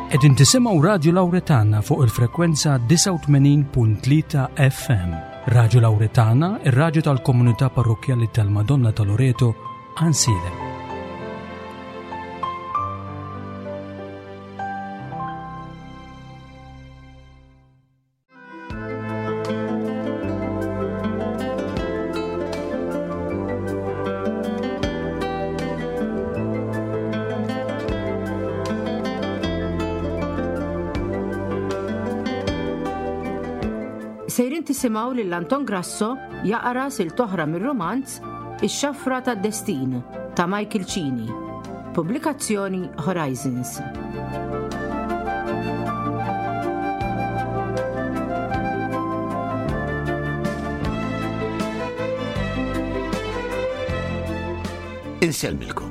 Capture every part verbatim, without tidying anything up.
Qegħdin tisimgħu Radju Lawretana fuq il-frekwenza disgħa u tmenin punt tlieta F M. Radju Lawretana, ir-radju tal-Komunità Parrokkjali tal-Madonna ta' Loreto, Għajnsielem. Sejrin tisimgħu lil Anton Grasso jaqra silta oħra mir-romanz Ix-Xafra tad-Destin ta' Michael Cini. Pubblikazzjoni Horizons. Insellmilkom.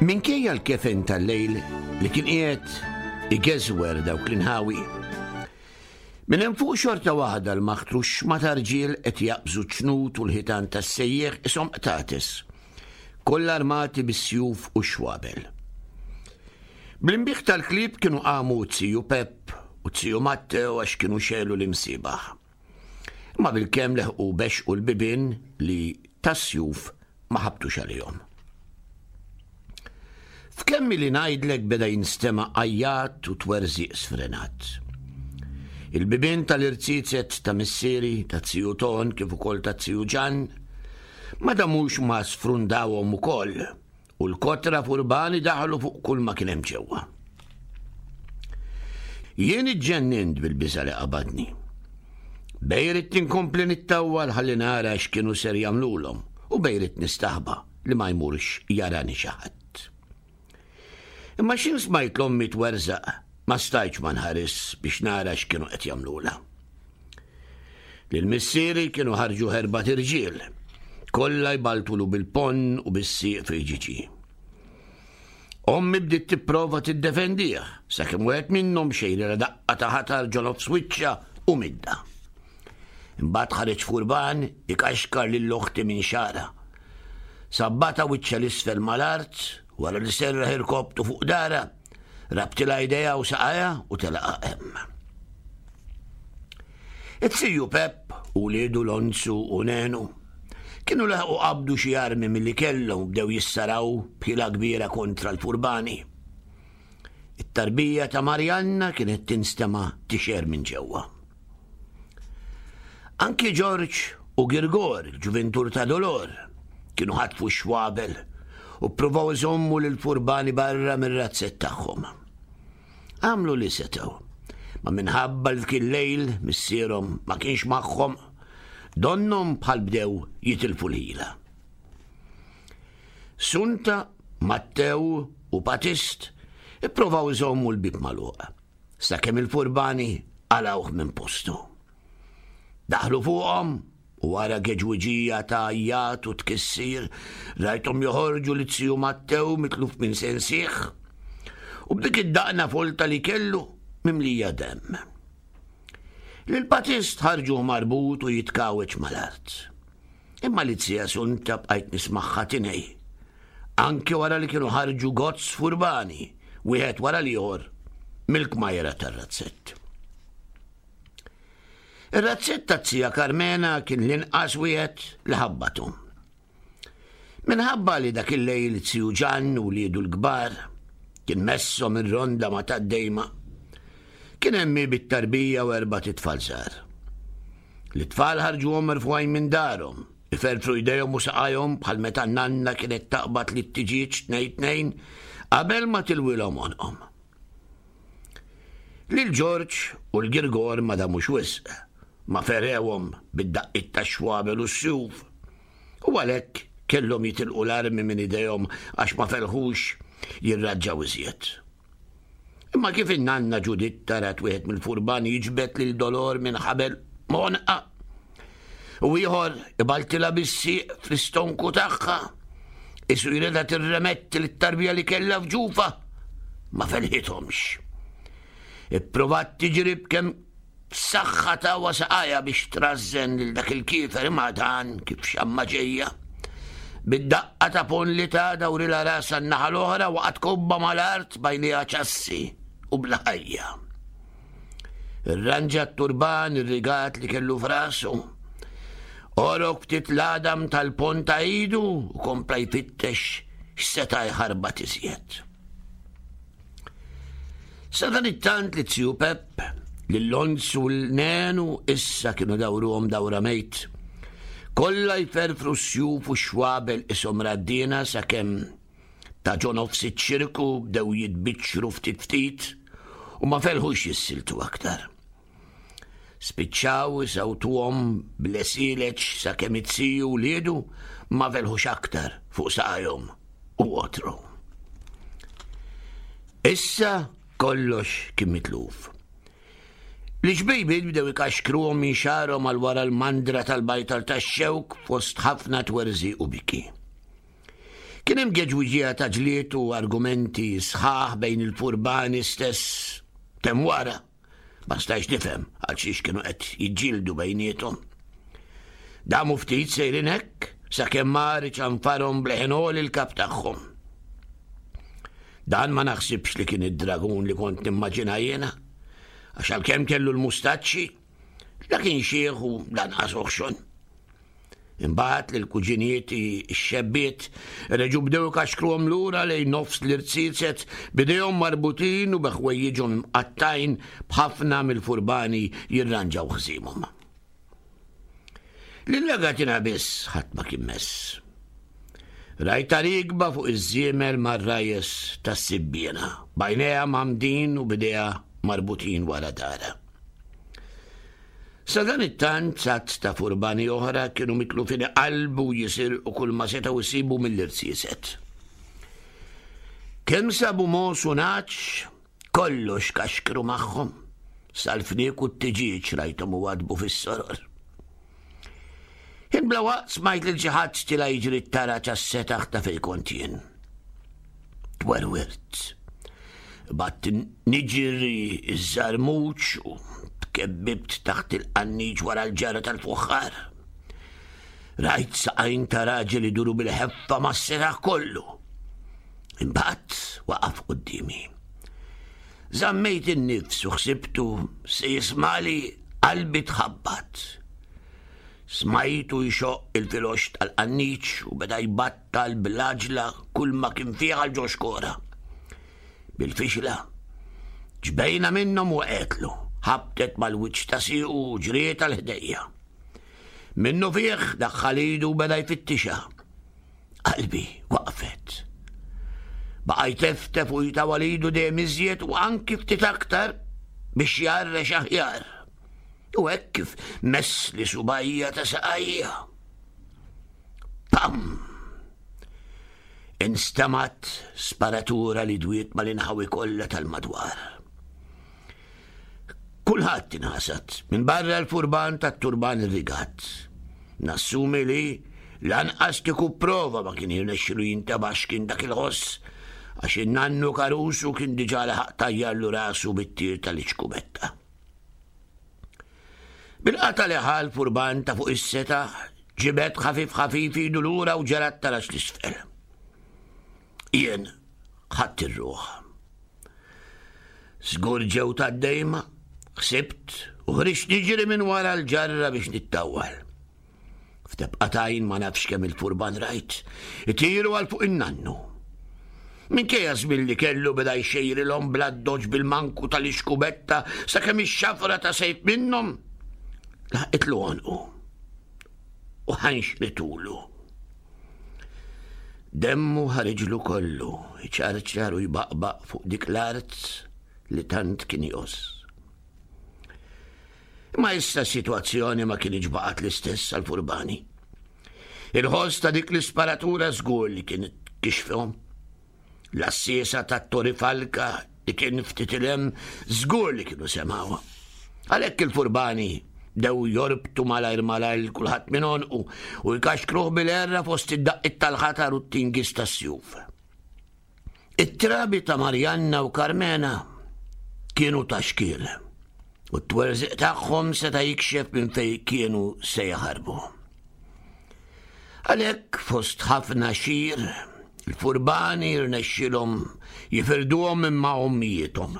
Minkejja l-kefen tal-lejl li kien qiegħed igeżwer dawk l-inħawi, minn hemm fuq xorta waħda l-maħtrux ma tarġiel qed jaqbżu ċnut u l-ħitan tas-sejjeħ ishom qtates, kollha armati bis-sjuf u xwabel. Bl-inbiħ tal-klieb kienu qamu ziju Pep u ziju Matteo għax kienu xegħlu l-imsiebaħ. Ma bil-kemm leħqu bexqu l-bibien li tas-sjuf ma ħabtux għalihom. F'kemm li ngħidlek beda jinstema' għajjat u twerżiq sfrenat. Il-bibien tal-irziezet ta' missieri, ta' ziju Ton kif ukoll ta' ziju Ġan, ma damux ma sfrundawhom ukoll u l-kotra furbani daħlu fuq kull ma kien hemm ġewwa. Jien iġġennint bil-biża li qabadni. Bejn ridt inkompli nittawwal ħalli nara x'kienu ser jagħmlulhom u bejn ridt nistaħba li ma jmurx jarani xi ħadd. Imma x'ħin smajt l-ommi twerżaq, ma stajtx ma nħares biex nara x'kienu qed jagħmlulha. Lil missieri kienu ħarġu erbat irġiel, kollha jbaltulu bil-ponn u bis-sieq fil-ġiġi. Ommi bdiet tipprova tiddefendih, sakemm wieħed minnhom xejrilha daqqa ta' ħatar ġo nofs wiċċha u midda. Imbagħad ħareġ furban ikaxkar lil oħti minn xagħarha. Sabbatha wiċċha 'l isfel mal-art, wara li serraħ irkobtu fuq daharha, rabtilha idejha u saqajha u telaqha hemm. It-ziju Pep u wliedu Lonzu u Nenu kienu laħqu qabdu xi armi milli kellhom, bdew jissaraw b'ħila kbira kontra l-furbani. It-tarbija ta' Marjanna kienet tinstema tixher minn ġewwa. Anki Ġorġ u Girgor, il-ġuvintur ta' Dolor, kienu ħatfu xwabel u provaw iżommu lil furbani barra mir-razzett tagħhom. Għamlu li setgħu, ma minħabba li kien lejl missierhom ma kienx magħhom, donnhom bħal bdew jitilfu l-ħila. Sunta, Mattew u Patist ipprovaw iżommu l-bib magħluq, sakemm il-furbani qalgħuh minn postu. Daħlu fuqhom u wara geġwiġija ta' għajjat u tkissir, rajthom joħorġu lil ziju Mattew mitluf minn sensih u b'dik id-daqna folta li kellu mimlija demm. Lil-Patist ħarġu marbut u jitkawweġ mal-art. Imma li zija Sunta bqajt nismagħha tingħi. Anke wara li kienu ħarġu gozz furbani, wieħed wara l-ieħor, mill-kmajra tar-razzett. Ir-razzett ta' zija Carmena kien l-inqas wieħed li ħabbatu. Minħabba li dak il-lejl ziju Ġan u wliedu l-kbar kien messhom ir-ronda ma' tad-dejma, kien hemm bit-tarbija u erbat itfal żgħar. L-itfal ħarġuhom merfugħin minn darhom, iferfru jdejhom u saqajhom bħal meta nanna kienet taqbad lit-tiġieġ tnejn tnejn qabel ma tilwilhom għonqhom. Lil Ġorġ u l-Girgor ma damux wisq, ma ferewhom bid-daqqiet ta' xwabel u s-sjuf. U għalhekk kellhom jitilqu l-armi minn idejhom għax ma felħux jirraġġaw iżjed. Imma kif in-nanna Ġuditta rat wieħed mill-furbani jiġbed lil Dolor minn ħabel m'għonqha u ieħor ibaltilha bis-sieq fl-istonku tagħha, isu jridha tirremetti lit-tarbija li kellha f'ġufha, ma felħithomx. Ipprovat tiġri b'kemm saħħa ta' saqajha biex trażżen lil dak il-kiefer, imma dan kif xamma ġejja. Bid-daqqa ta' pon li ta' dawrilha rasha n-naħa l-oħra waqgħet kobba mal-art b'għajnejha ċassi u bla ħajja. Irranġa t-turban irrigat li kellu f'rasu. Għorok ftit l-għadam tal-pon ta' idu u kompla jfittex x'seta' jħarbat iżjed. Sadanittant li Ziju Pepp, lil Lonz u l-Nenu issa kienu dawruhom dawra mejt. Kollha jferfru s-sjuf u xwabel ishom raddiena sakemm ta' ġo nofs iċ-ċirku bdew jitbiċċru ftit ftit u ma felħux jissiltu aktar. Spiċċaw isawtuhom bl-esileċ sakemm it-siju u liedu ma felħux aktar fuq saqajhom u għotru. Issa kollox kien mitluf. L-ġbejbiet bdew ikaxkruhom minn xagħarhom għal wara l-mandra tal-bajtar tax-xewk fost ħafna twerżi u biki. Kien hemm geġwiġija ta' ġlied u argumenti sħaħ bejn il-furbani stess temm wara. Ma stajx nifhem għal xiex kienu qed jiġġieldu bejniethom. Damu ftit sejrin hekk sakemm mar iċanfarhom bleħen għoli l-kap tagħhom. Dan ma naħsibx li kien id-dragun li kont nimmaġina jiena, għax għalkemm kellu l-mustaċċi, la kien xiħ u lanqas oħxon. Imbagħad lil kuġinieti x-xebbiet reġgħu bdew ikaxkruhom lura lejn nofs l-irziezet b'idejhom marbutin u bi ħwejjiġhom imqattajn b'ħafna mill-furbani jirranġaw ħżiemhom. Lil Agatina biss ħadd ma kien mess. Rajtha rikba fuq iż-żiemel mar-rajes tas-sibbiena, b'għajnejha mgħammdin u b'idejha marbutin wara darha. Sadanittant għadd ta' furbani oħra kienu mitlufin iqallbu jisirqu kull ma setgħu jsibu mill-irziezet. Kemm sabu mogħoż u nagħaġ, kollox kaxkru magħhom, sal-fniek u t-tiġieġ rajthom iwaddbu fis-soror. Ħin bla waqt smajt lil xi ħadd tila' jiġri t-taraġ għas-setaħ ta' fejn kont jien. Twerwirt. Batt niġri iż-żarmuċ u tkebbibt taħt il-qanniġ wara l-ġara tal-fuħħar. Rajt saqajn ta' raġel iduru bil-ħeffa mas-setaħ kollu. Imbagħad waqaf quddiemi. Żammejt in-nifs u ħsibtu se jismali qalbi tħabbat. Smajtu jxoqq il-filox tal-qanniċ u beda jbattal bl-għaġla kull ma kien fih għal ġo xkora. Bil-fixla, ġbejna minnhom u qetlu, ħabtet mal-wiċċ ta' siequ u ġriet għal ħdejja. Minnu fih daħħal idu u beda jfittixa. Qalbi waqfet. Baqa' jteftef u jtawal idu dejjem iżjed u anki ftit aktar biex jarrex aħjar. U hekk kif mess li subajja ta' saqajja. Pam! Instamat sparatura li dwiet mal-inħawi kollha tal-madwar. Kulħadd inħasad minn barra l-furban tat-turban irrigat. Nassumi li lanqas kieku prova ma kien jirnexxilu jintebaħ x'kien dak il-ħoss għax in-nannu Caruso kien diġà laħaq tajjarlu rasu bit-tir tal-iċkubetta. Bil-qata li ħa l-furban ta' fuq is-setaħ ġibed ħafif ħafif idu lura u ġara t-taraġ l-isfel. Jien ħadt ir-ruħ. Żgur ġew tad-dejma, ħsibt u ħriġt niġri minn wara l-ġarra biex nittawwal. F'tebqa t'għajn ma nafx kemm il-furban rajt, itiru għal fuq in-nannu. Minkejja żmien li kellu beda jxejrilhom bl-addoċ bil-manku tal-ixkubetta sakemm ix-xafra ta' sejf minnhom laħqitlu għonqu u ħanxritulu. Demmu ħariġlu kollu, iċarċar u jbaqbaq fuq dik l-art li tant kien jgħożż. Imma issa s-sitwazzjoni ma kienx baqgħet l-istess għall-furbani. Il-ħoss ta' dik l-isparatura żgur li kien kixfhom. L-assisa tat-Tori Falka li kien ftit il-hemm żgur li kienu semgħuha. Għalhekk il-furbani bdew jorbtu malajr malajr lil kulħadd minn għonqu u jkaxkruh bil-erra fost id-daqqiet tal-ħatar u t-tingis tas-sjuf. It-trabi ta' Marjanna u Karmena kienu ta' xkiel u t-twerżiq tagħhom seta' jikxef minn fejn kienu se jaħarbu. Għalhekk fost ħafna xir, il-furbani rnexxilhom jifirduhom minn ma' ommijiethom.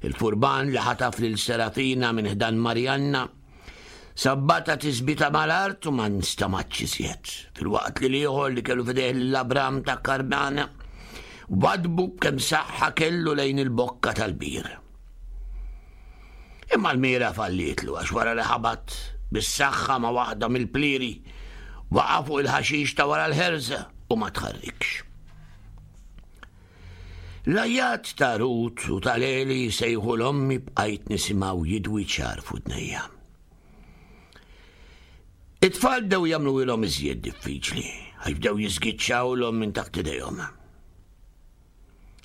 Il-furban li ħataf lil Serafina minn ħdan Marjanna sabbata tisbita mal-art u ma nstamatx iżjed. Filwaqt li l-ieħor li kellu f'idejh l-Abram ta' Karmana wadbu kemm saħħa kellu lejn il-bokka tal-bir. Imma l-mira fallietlu għax wara li ħabat bis-saħħa ma' waħda mill-plieri waqa' fuq il-ħaxix ta' wara l-ħerża u ma tħarrikx. L-għajat ta' Rut u ta' Leli sejħu l-ommi bqajt nisimgħu jidwi ċar f'udnejja. It-tfal bdew jagħmluhielhom iżjed diffiċli, għax bdew jiżgiċċawlhom minn taħt idejhom.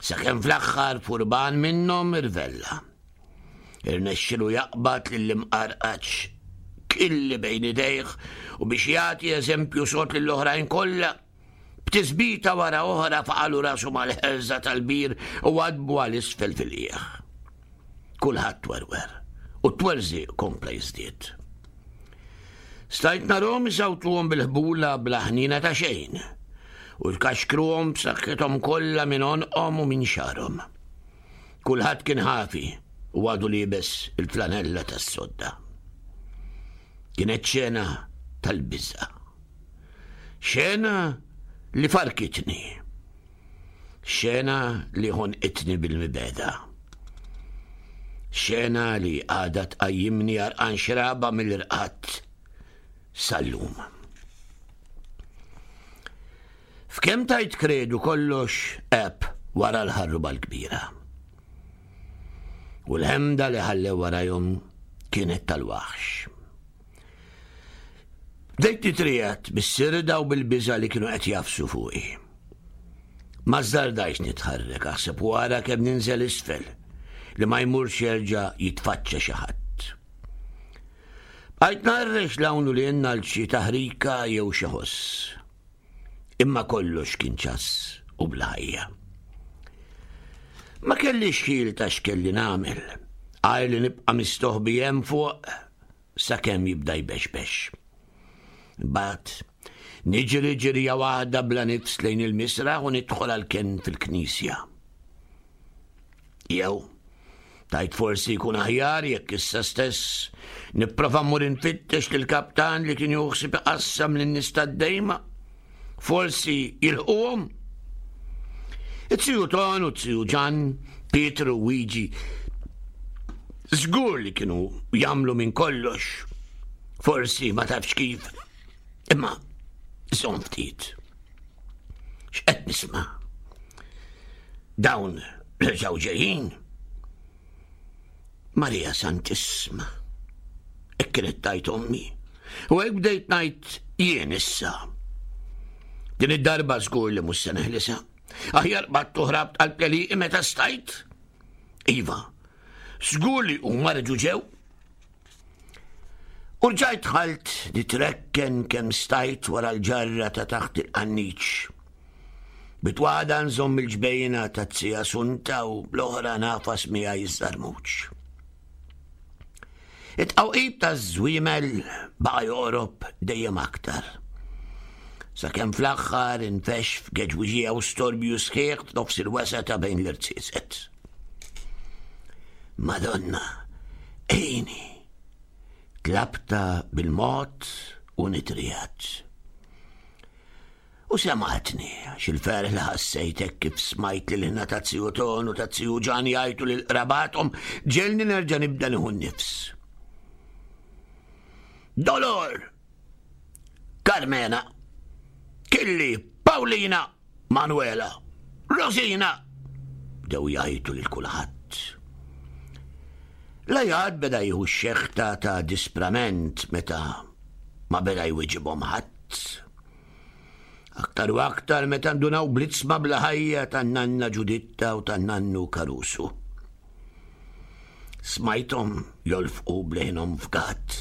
Sakemm fl-aħħar furban minnhom irvella. Irnexxilu jaqbad lill-imqarqaċ killi bejn idejh u biex jagħti eżempju sod lill-oħrajn kollha, b'tisbita wara oħra faqalu rasu mal-ħerża tal-bir u għadbu għal isfel fil-qiegħ. Kulħadd twerwer u t-twerżiq kompla jiżdied. Stajt narhom isawtuhom bil-ħbula bla ħniena ta' xejn u jkaxkruhom b'saħħithom kollha minn għonqhom u minn xagħarhom. Kulħadd kien ħafi u għadu liebes il-flanella tas-sodda. Kienet xena tal-biża'. Xena li farkitni. Xena li ħonqitni bil-mibeda. Xena li għadha tqajjimni għarqan xraba mill-irqad sal-lum. F'kemm tajt kredu kollox għeb wara l-ħarruba l-kbira. U l-ħemda li ħallew warajhom kienet tal-waħx. Bdejt nitriegħed bis-sirda u bil-biża' li kienu qed jafsu fuqi. Ma żdardajx nitħarrek, aħseb wara kemm ninżel isfel li ma jmurx jerġa' jitfaċċa xi ħadd. Bqajt narrex l-hawn u lil għal xi taħrika jew xi ħoss. Imma kollox kien ċass u bla ħajja. Ma kellix ħil ta' x'kelli nagħmel, għajr li nibqa' mistoħbi hemm fuq sakemm jibda jbexbex. Imbagħad niġri ġirja waħda bla nifs lejn il-misraħ u nidħol għall-kenn fil-knisja. Jew, tajt forsi jkun aħjar jekk issa stess nipprova mmur infittex lill-kaptan li kien juħsib iqassam lin-nies tad-dejma. Forsi jilħquhom. It-tiju Ton u t-tiju Ġan, Pietru u Wiġi, żgur li kienu jagħmlu minn kollox. Forsi ma tafx kif. Imma żomm ftit. X'qed nisma'? Dawn reġgħu ġejjin. Marija Santissima. Hekk kienet tgħid ommi. U hekk bdejt ngħid jien issa. Din id-darba żgur li mhux se neħlisha. Aħjar qbadt u ħrabt qalb l-għelieqi meta stajt. Iva, żgur li huma reġgħu ġew. U rġajt dħalt nitrekken kemm stajt wara l-ġarra ta' taħt il-qanniċ. Bitwada nżomm il-ġbejna ta' tija Sunta u bl-oħra nafas miegħi iż-żarmuċ. It-tqawqib taż-żwiemel baqa' joqrob dejjem aktar. Sakemm fl-aħħar infexx f'geġwiġija u storbju sħiħ f'nofs il-wesgħa ta' bejn l-irziezet. Madonna, għinni! Tlabta bil-mod u nitriegħed. U semgħetni għax il-ferħ li ħassejt hekk kif smajt lil ħna ta' tiju Ton u ta' tiju Ġan jgħajtu lil qrabathom ġegħelni nerġa' nibda nieħu n-nifs. Dolor! Carmena! Killi! Paulina! Manuela! Rosina! Bdew jgħajtu lil kulħadd. L-għajat beda jieħu x-xeħta ta' disprament meta ma beda jwiġibhom ħadd. Aktar u aktar meta ndunaw blitzma bla ħajja tan-nanna Ġuditta u tan-nannu Caruso. Smajthom jolfqu bleħinhom f'gatt.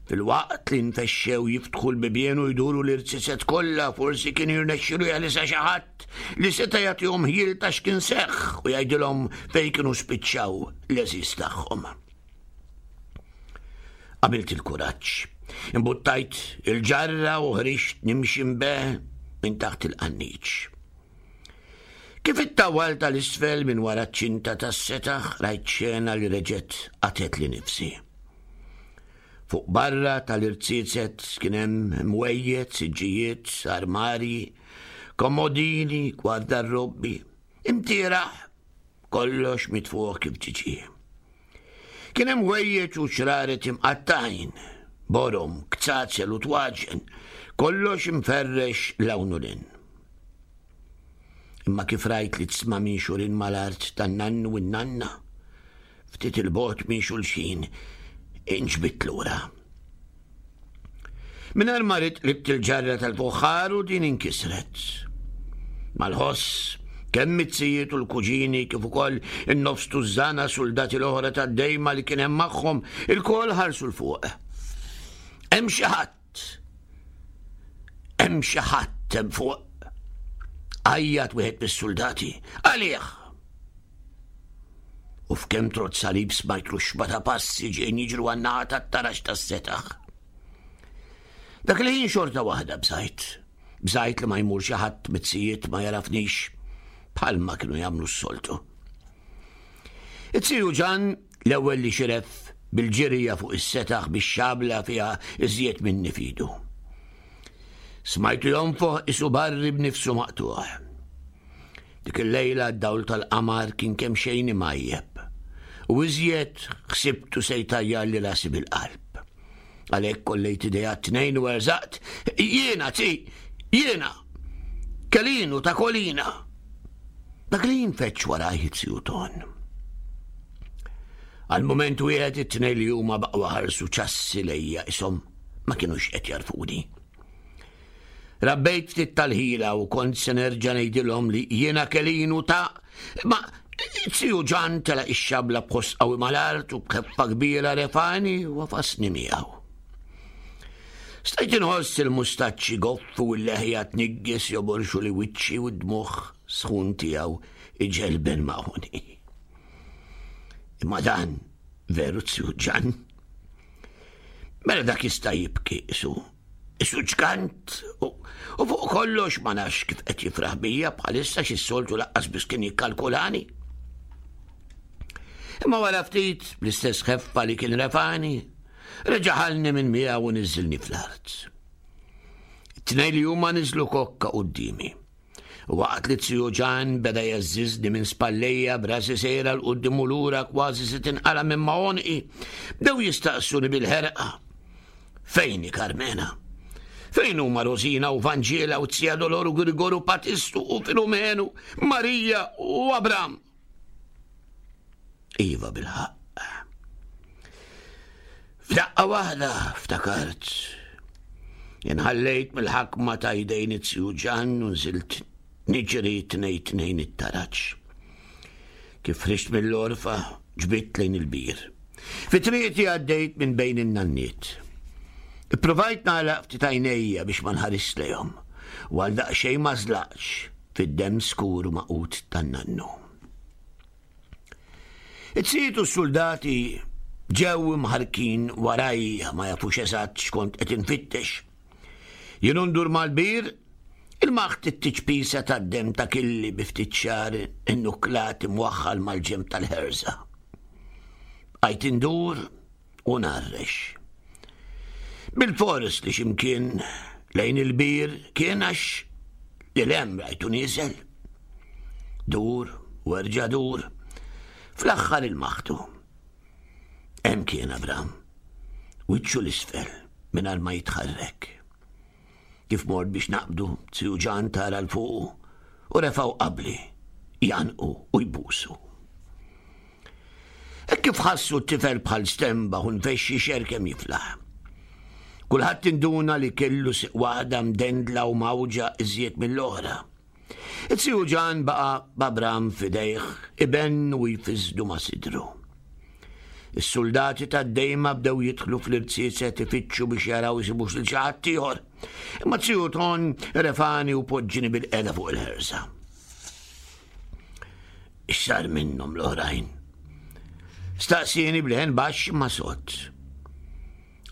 Fil-waqt li nfexxew jiftħu l-bibien u jduru l-irziezet kollha, forsi kien jirnexxilu jeħlisha xi ħadd li seta' jagħtihom ħjiel ta' x'kien seħħ u jgħidilhom fejn kienu spiċċaw l-għeżież tagħhom. Għamilt il-kuraġġ Imbuttajt il-ġarra u ħriġt nimxi mbeħ minn taħt il-qanniċ. Kif it-tawwal tal-isfel minn wara ċ-ċinta tas-setaħ rajt xena li reġgħet qatgħetli nifsi. Fuq barra tal-irziezet kien hemm mwejjed, siġġijiet, armarji, komodini, gwardarrobbi, imtieraħ, kollox mitfuħ kif ġiġi. Kien hemm ħwejjeġ u ċraret imqattgħin, borom, kzazel u twaġen, kollox imferrex 'l hawn u 'l hinn. Imma kif rajt li tisma' minn xurin mal-art tan-nannu u n-nanna, ftit il-bogħod minn xulxin, inġbidt lura. Mingħajr ma ridt qlibt il-ġarra tal-fuħħar u din inkisret. Mal-ħoss, kemm it-zijiet u l-kuġini kif ukoll in-nofs tużżana suldati l-oħra tad-dejma li kien hemm magħhom, ilkoll ħarsu 'l fuq. Hemm xi ħadd! Hemm xi ħadd hemm fuq! Għajjat wieħed mis-suldati. Għalih! U f'kemm trott salib smajt ruxxma ta' passi ġejjin jiġru għan-naħa tat-taraġ tas-setaħ. Dak il-ħin xorta waħda bżajt. Bżajt li ma jmur xi ħadd mit-zijiet ma jarafnix bħalma kienu jagħmlu s-soltu. It-ziju Ġan l-ewwel li xiref bil-ġirja fuq is-setaħ bix-xabla fiha iżjed minni fidu. Smajtu jonfoħ isu barri b'nifsu maqtuħ. Dik il-lejla d-dawl tal-qamar kien kemm xejn imajjeb. U iżjed ħsibtu se jtajjarli rasi bil-qalb. Għalhekk kollejt idejja t-tnejn u erżaqt, jiena zi, jiena, Kelinu ta' Kolina. Dak li jinfeċ warajh it-ziju Ton. Għal mument wieħed it-tnejn li huma baqgħu ħarsu ċassi lejja ishom ma kinux qed jarfuni. Rabbejt ftit tal-ħila u kont se nerġa' ngħidilhom li jiena Kelinu ta' ma ziju Ġan telaq ix-xabla b'ħoss qawwi mal-art u b'ħeffa kbira refani u għafasni miegħu. Stajt inħoss il-mustaċċi goffu u l-leħja tniggis joborxu li wiċċi u d-dmugħ sħun tiegħu iġelben magħhuni. Imma dan veru ziju Ġan. Mela dak jista' jibki isu. Isu ġgant u fuq kollox ma nafx kif qed jifraħ bija bħalissa xi soltu laqqas biss kien jikkalkulani. Imma wara ftit bl-istess ħeffa li kien refani, reġa' ħalni minn miegħu u niżilni fl-art. It-tnejn li huma niżlu kokka quddiemi. U waqt li ziju Ġan beda jgħażżiżni minn spallejja b'rasi sejra 'l quddiem u lura kważi se tinqala' minn ma' għonqi, bdew jistaqsuni bil-ħerqa. Fejn hi Karmena? Fejn huma Rosina u Vanġela u Zija Doloru Grigoru Patistu u Filomenu, Marija u Abram? Iva bil-ħaqq. F'daqqa waħda ftakart. Inħallejt mill-ħakma ta' jdejn it-ziju Ġan u nżilt niġri tnejn tnejn it-taraġ. Kif ħriġt mill-għorfa, ġbidt lejn il-bir. Fi triqti għaddejt minn bejn in-nanniet. Ippruvajt nagħlaq ftit għajnejja biex ma nħares lejhom, u għal daqsxejn ma żlaqtx fid-demm skur u maqut tan-nannu. It-sijiet u s-soldati ġew imħarkin warajja ma jafux eżatt x'kont qed infittex. Jien ndur mal-bir, il-maħt it-tiċpisa tad-demm ta' killi bi ftit xagħar innuklat imwaħħal mal-ġenb tal-ħerża. Bqajt indur u narrex. Bil-fors li ximkien lejn il-bir kien għax li lem rajtu nieżel. Dur u erġa' dur, fl-aħħar il-maħtu. Hemm kien Abram, wiċċu l-isfel mingħajr ma jitħarrek. Kif mort biex naqbdu, ziju Ġan tara 'l fuqu u refgħu qabli, janqu u jbusu. Hekk kif ħassu t-tifel bħal stemba u nfexxi xer kemm jiflaħ. Kulħadd induna li kellu siq waħda mdendla u mawġa iżjed mill-oħra. It-ziju Ġan baqa' b'Abram f'idejh ibenn u jfiżdu ma' sidru. Is-soldati tad-dejma bdew jidħlu fl-irziezet ifittxu biex jaraw isibux lil xi ħadd ieħor. Imma ziju Ton refani u poġġini bil-qeda fuq il-ħersa. X'sar minnhom l-oħrajn? Staqsieni b'leħen baxx ma sod.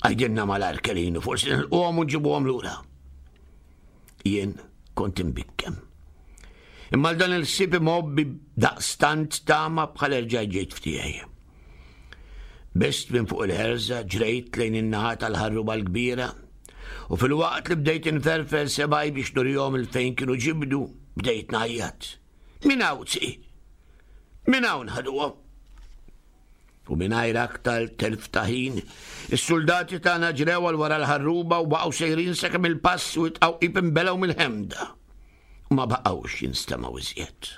Għajdilna malajr Kelinu, forsi nilqgħuhom u nġibuhom lura. Jien kont imbikkem. Imma dan il-ħsieb imgħobbi daqstant tama bħal erġajt ġejt f'tiegħi. Bist minn fuq il-ħerża, ġrejt lejn in-naħa tal-ħarruba l-kbira u filwaqt li bdejt inferfer sebgħi biex nurihom 'il fejn kienu ġibdu, bdejt ngħajjat. Min hawn, zi? Min hawn ħaduhom? U mingħajr aktar telf ta' ħin, is-suldati tagħna ġrew għal wara l-ħarruba u baqgħu sejrin sakemm il-pass u t-tqawqib inbelgħu mill-ħemda. U ma baqgħux jinstemgħu iżjed.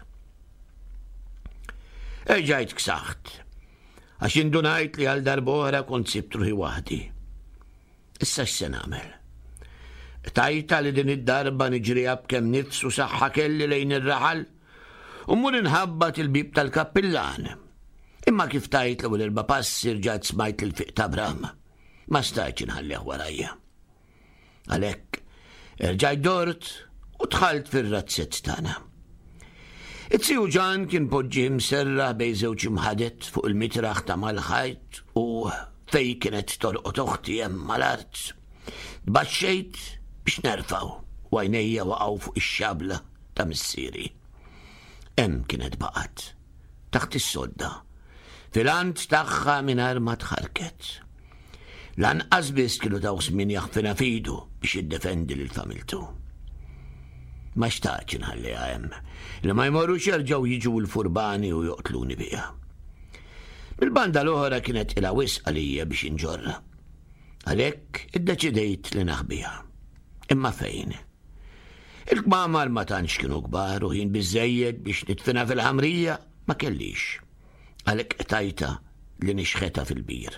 Erġajt ksaħt, għax indunajt li għal darb'oħra kont sibt ruħi waħdi. Issa x'se nagħmel? Tajta li din id-darba niġriha b'kemm nifs u saħħa kelli lejn ir-raħal u mmur inħabbat il-bieb tal-kappillan. Imma kif tajt l-ewwel erba' passi rġajt smajt il-fiq ta' Bram. Ma stajtx inħallih warajja. Għalhekk erġajt dort u dħalt fir-razzett tagħna. It-tiju Ġan kien poġġi mserraħ bejn żewġ imħadet fuq il-mitraħ ta' mal-ħajt u fej kienet torqod oħti hemm mal-art. Tbaxxejt biex nerfgħu u għajnejja waqgħu fuq ix-xabla ta' missieri. Hemm kienet baqgħet, taħt is-sodda, fil-ant tagħha mingħajr ma tħarket. Lanqas biss kienu taw żmien jaħfinha f'idu biex jiddefendi lil familtu. Ma xtaqtx inħalliha hemm, li ma jmorrux jerġgħu jiġu l-furbani u joqtluni biha. Mill-banda l-oħra kienet ilha wisq għalija biex inġorra. Għalhekk iddeċidejt li naħbiha. Imma fejn? Il-kmamar ma tantx kienu kbar u ħin biżejjed biex nidfinha fil-ħamrija ma kellix. Għalhekk qtajta li nixħetha fil-bir.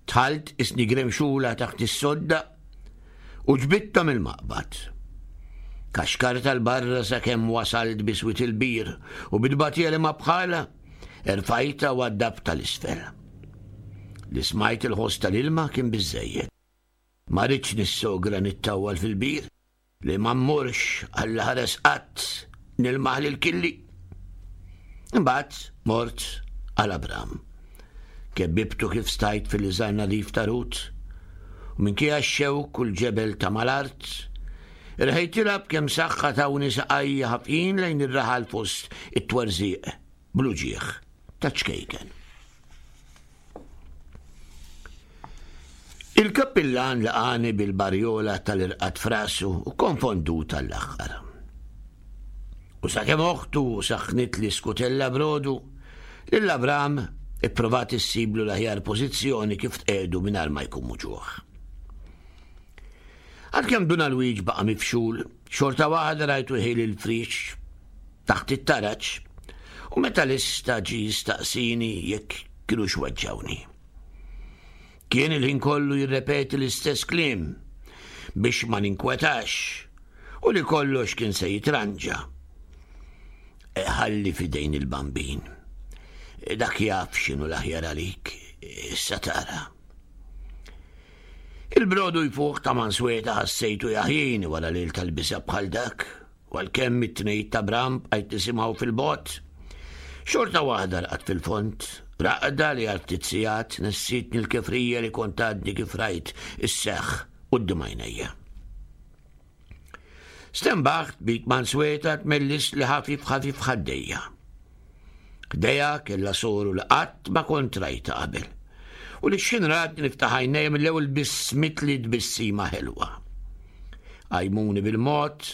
Dħalt isni gremxula taħt is-sodda u ġbidtha mill-maqbad. Kaxkartha 'l barra sakemm wasalt biswit il-bir u bit-tbatija li ma bħalha erfajtha u waddabtha 'l isfel. Li smajt il-ħoss tal-ilma kien biżejjed. Ma ridtx nissogra nittawwal fil-bir li ma mmurx għal ħares qatt nilmaħ lil Killi. Imbagħad mort għal Abram. Kebbibtu kif stajt fil-liżar nadif ta' Rut u minkejja x-xewk u l-ġebel ta' mal-art, irħejtilha b'kemm saħħa tawni saqajja ħafjin lejn ir-raħal fost it-twerżiq bl-uġigħ ta' ċkejken. Il-kappillan laqani bil-barjola tal-irqad frasu u konfondu tal-aħħar. U sakemm oħtu saħnit li skutella brodu, lil Abram ipprovat issiblu l-aħjar pożizzjoni kif tqegħdu mingħajr ma jkun muġugħ. Għalkemm Dun Alwiġ baqa' mifxul, xorta waħda rajtu jħil il-frix taħt it-taraġ u meta lista ġie jistaqsini jekk kinux weġġawni. Kien il-ħin kollu jirrepeti l-istess kliem biex ma ninkwetax u li kollox kien se jitranġa. Ħalli fidejn il-bambin. Dak jaf x'inhu l-aħjar għalik, issa tara. Il-brodu jfuħ ta' mansweta ħassejtu jaħjini wara lejl tal-bisa bħal dak, u għalkemm it-tnejn ta' Bram bqajt nisimgħu fil-bogħod. Xorta waħda rqadt fil-fond, raqda li għal ftit sigħat nessitni l-kefrija li kont għadni kif rajt isseħħ quddiem għajnejja. Stenbaħt bit mansweta tmellis li ħafif ħafif ħaddejja. Ħdejja kellha soru li qatt ma kont rajta qabel. U li x'ħin ratni niftaħ għajnejja mill-ewwel bissmitli tbissima ħelwa. Qajmuni bil-mod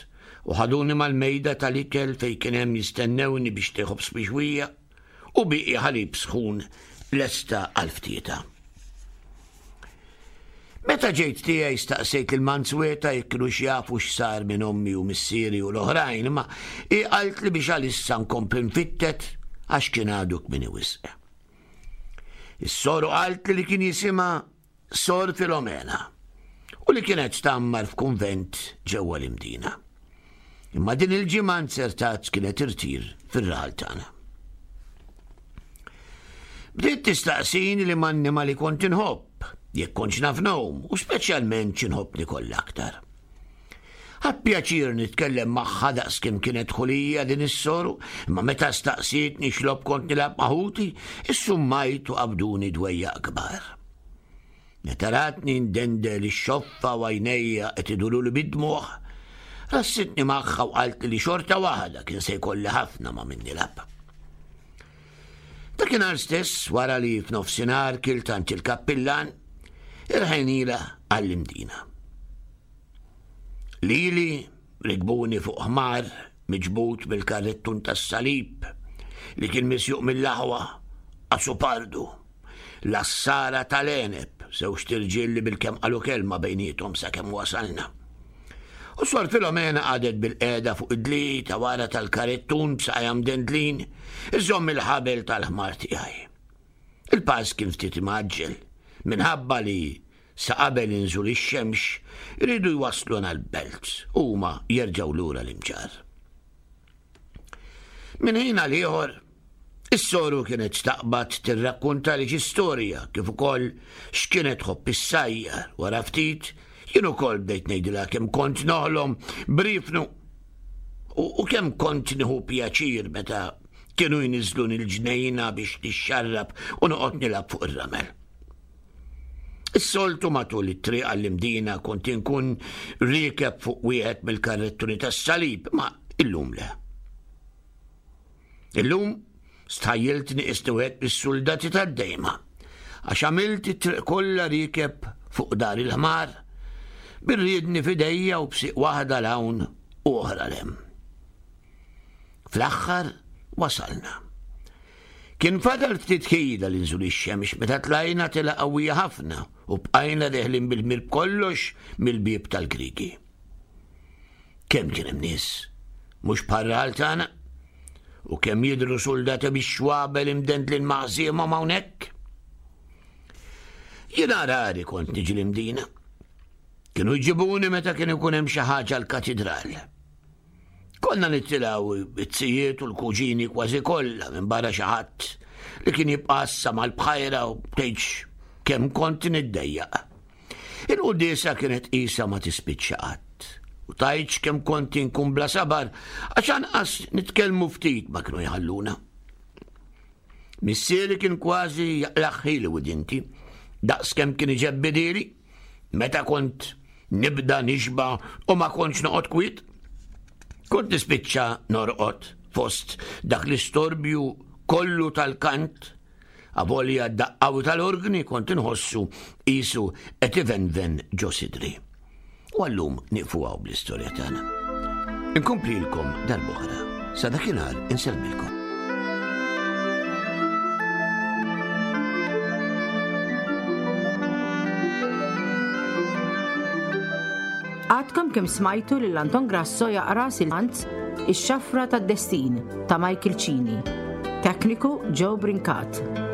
u ħaduni mal-mejda tal-ikel fejn kien hemm jistennewni biex tieħu bixwija u bieqi ħalib sħun lesta għal ftieta. Meta ġejt tiegħi staqsejt lil Mansweta jekk kinux jafu x'sar minn ommi u missieri u l-oħrajn, imma hi qaltli biex għalissa nkompli nfittet għax kien għadu kmieni wisq. Is-soru qaltli li kien jisimha Sor Filomena u li kienet tgħammar f'kunvent ġewwa l-Imdina. Imma din il-ġimgħa nzertat kienet irtir fir-raħal tagħna. Bdiet tistaqsini li m'annimali kont inħobb, jekk kontx naf ngħum u speċjalment x'inħobb nikol aktar. Ħadt pjaċir nitkellem magħha daqskemm kienet ħulija din is-soru, imma meta staqsietni x'logħob kont nilgħab ma' ħuti, issummajt u qabduni dwejjaq kbar. Meta ratni ndendel ix-xoffa u għajnejja qed iduruli bid-dmugħ, rassitni magħha u qaltli li xorta waħda kien se jkolli ħafna ma' min nilgħab. Dakinhar stess, wara li f'nofsinhar kilt għand il-kappillan, irħejnilha għall-Imdina. Lili rikbuni fuq ħmar miġbud bil-karrettun tas-salib li kien misjuq mill-aħwa Asupardu, l-assara tal-għeneb, żewġt irġiel li bilkemm qalu kelma bejniethom sakemm wasalna. U Sor Filomena qagħdet bil-qiegħda fuq id-dli ta' wara tal-karettun b'saqajha mdendlin, iżomm il-ħabel tal-ħmar tiegħi. Il-pass kien ftit imgħaġġel, minħabba li sa qabel inżul ix-xemx iridu jwassluna l-belt u huma jerġgħu lura l-Imġarr. Minn ħin għal ieħor, is-soru kienet taqbad tirrakkuntali xi storja kif ukoll x'kienet tħobb issajjar. Wara ftit, jien ukoll bdejt ngħidilha kemm kont noħlom b'riefnu u kemm kont nieħu pjaċir meta kienu jniżżluni l-ġnejna biex nixxarrab u noqgħod nilgħab fuq ir-ramel. Is-soltu matul it-triq għall-Imdina kont inkun riekeb fuq wieħed mill-karrettuni tas-salib, ma illum le. Illum stħajjiltni qisni wieħed mis-suldati tad-dejma, għax għamilt it-triq kollha riekeb fuq dar il-ħmar, bir-riedni f'idejja u b'sieq waħda 'l hawn u oħra 'l hemm. Fl-aħħar wasalna. Kien fadal ftit ħila li nżul ix-xemx meta tlajna tela qawwija ħafna u bqajna deħlin bil-ħmir b'kollox mill-bieb tal-Griegi. Kemm kien hemm nies, mhux bħar-raħal tagħna, u kemm jidhru suldati bix-xwabel imdendlin ma' ħżiemhom hawnhekk. Jiena rari kont niġi l-Imdina. Kienu jġibuni meta kien ikun hemm xi ħaġa l-katidral. Konna nittilgħu it-zijiet u l-kuġini kważi kollha minn barra xi ħadd li kien jibqa' għassa mal-bħajra u tgħidx kemm kont niddejjaq. Il-quddiesa kienet qisha ma tispiċċa qatt. U tgħidx kemm kont inkun bla sabar għax anqas nitkellmu ftit ma kienu jħalluna. Missieri kien kważi jaqlaħħili widinti, daqs kemm kien iġebbidili meta kont nibda nixba u ma kontx noqgħod kwiet. Kont nispiċċa norqod fost dak l-istorbju kollu tal-kant, avolja d-daqqaw tal-organi kont inħossu qisu qed ivenven ġo sidri. U għallum nieqfu hawn bl-istorja tagħna. Inkomplilkom darb'oħra. Sa dakinhar insellmilkom. Għadkom kemm smajtu lil Anton Grasso jaqra silmanz Ix-Xafra tad-Destin ta' Michael Cini. Tekniku Joe Brincat.